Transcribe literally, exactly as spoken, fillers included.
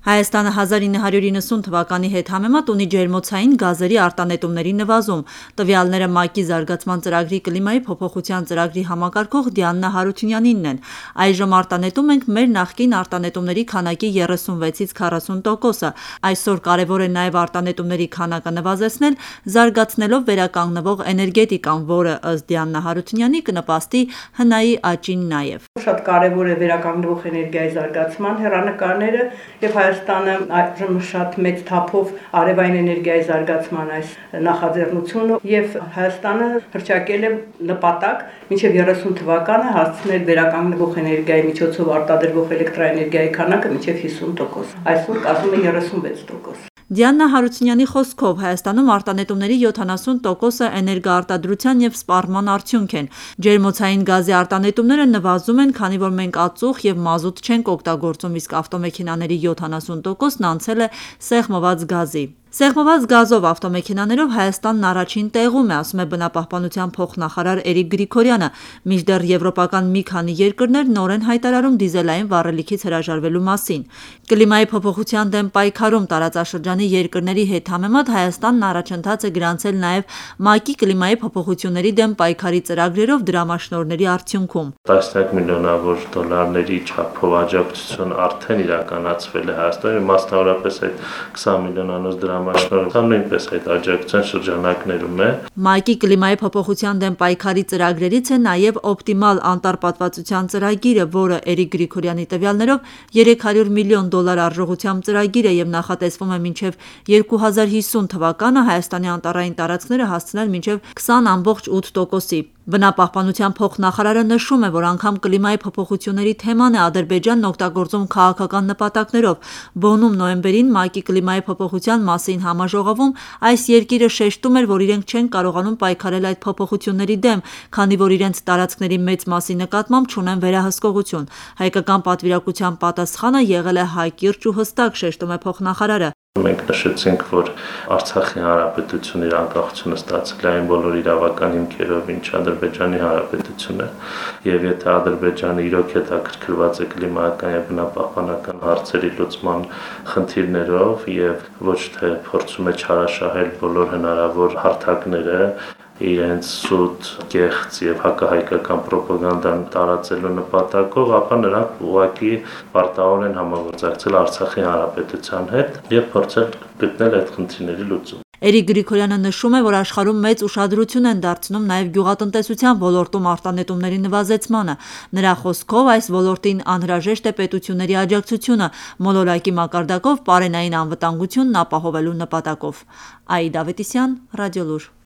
Հայաստանը հազար ինը հարյուր իննսուն թվականի հետ համեմատ ունի ջերմոցային գազերի արտանետումների նվազում։ Տվյալները ՄԱԿ-ի զարգացման ծրագրի կլիմայի փոփոխության ծրագրի համակարգող Դիանա Հարությունյանինն են։ Այժմ արտանետում ենք մեր նախկին արտանետումների քանակի երեսունվեցից քառասուն տոկոսը։ Այսօր կարևոր է նաև արտանետումների քանակը նվազեցնել, զարգացնելով վերականգնվող էներգետիկան, որը ըստ Դիանա Հարությունյանի կնպաստի հնայի աճին նաև։ Շատ կարևոր է վերականգնվող էներգիայի զարգացման հեռանկարները եւ Հայաստանը այժմ շատ մեծ թափով արևային էներգիայի զարգացման այս նախաձեռնությունը եւ Հայաստանը հռչակել է նպատակ մինչեւ երեսուն թվականը հասցնել վերականգնվող էներգիայի միջոցով արտադրվող էլեկտրաէներգիայի քանակը մինչեւ հիսուն տոկոս։ Այսօր կազմում է երեսունվեց տոկոս։ Դիանա Հարությունյանի խոսքով Հայաստանում արտանետումների յոթանասուն տոկոսը էներգոարտադրության և սպառման արդյունք են։ Ջերմոցային գազի արտանետումները նվազում են, քանի որ մենք ածուխ և մազութ չենք օգտագործում, իսկ ավտոմեքենաների յոթանասուն տոկոսն անցել է սեղմված գազի։ Սեղմված գազով ավտոմեքենաներով Հայաստանն առաջին տեղում է, ասում է բնապահպանության փոխնախարար Էրիկ Գրիգորյանը, մինչդեռ եվրոպական մի քանի երկրներ նոր են հայտարարում դիզելային վառելիքից հրաժարվելու մասին։ Կլիմայի փոփոխության դեմ պայքարում տարածաշրջանի երկրների հետ համեմատ Հայաստանն առաջընթաց է գրանցել նաև ՄԱԿ-ի կլիմայի փոփոխությունների դեմ պայքարի ծրագրերով դրամաշնորհների արդյունքում։ Տասնյակ միլիոնավոր դոլարների չափով աջակցություն արդեն իրականացվել է Հայաստանի, մասնավորապես այդ քսան միլիոնանոց դրամաշնորհը նույնպես այդ աջակցության շրջանակներում է։ ՄԱԿ-ի կլիմայի փոփոխության դեմ պայքարի ծրագրերից է նաև օպտիմալ անտառպատվացության ծրագիրը, որը Էրիկ Գրիգորյանի տվյալներով երեք հարյուր միլիոն դոլար արժողությամբ ծրագիր է և նախատեսվում է մինչև երկու հազար հիսուն թվականը Հայաստանի անտառային տարածքները հասցնել մինչև քսան ամբողջ ութ տոկոսի։ Բնապահպանության փոխնախարարը նշում է, որ անգամ կլիմայի փոփոխությունների թեման է Ադրբեջանն օգտագործում քաղաքական նպատակներով։ Բոնում նոյեմբերին ՄԱԿ-ի կլիմայի փոփոխության մասին համաժողովում այս երկիրը շեշտում էր, որ իրենք չեն կարողանում պայքարել այդ փոփոխությունների դեմ, քանի որ իրենց տարածքների մեծ մասի նկատմամբ չունեն վերահսկողություն։ Հայկական պատվիրակության պատասխանը եղել է հակիրճ ու հստակ, շեշտում է փոխնախարարը։ Մենք նշեցինք, որ Արցախի հանրապետությունը իր անկախությունը ստացել է այն բոլոր իրավական հիմքերով, ինչ Ադրբեջանի հանրապետությունը, եւ եթե Ադրբեջանը իրոք հետաքրքրված է կլիմայական եւ բնապահպանական հարցերի լուծման խնդիրներով եւ ոչ թե փորձում է չարաշահել բոլոր հնարավոր հարթակները իրենց սուտ, կեղծ եւ հակահայկական պրոպագանդան տարածելու նպատակով, ապա նրանք ուղղակի պարտավոր են համագործակցել Արցախի հանրապետության հետ եւ փորձել գտնել այդ խնդիրների լուծում։ Էրիկ Գրիգորյանը նշում է, որ աշխարհում մեծ ուշադրություն են դարձնում նաև գյուղատնտեսության ոլորտում արտանետումների նվազեցմանը։ Նրա խոսքով այս ոլորտին անհրաժեշտ է պետությունների աջակցությունը մոլորակի մակարդակով պարենային անվտանգությունն ապահովելու նպատակով։ Աիդա Ավետիսյան, Ռադիոլուր։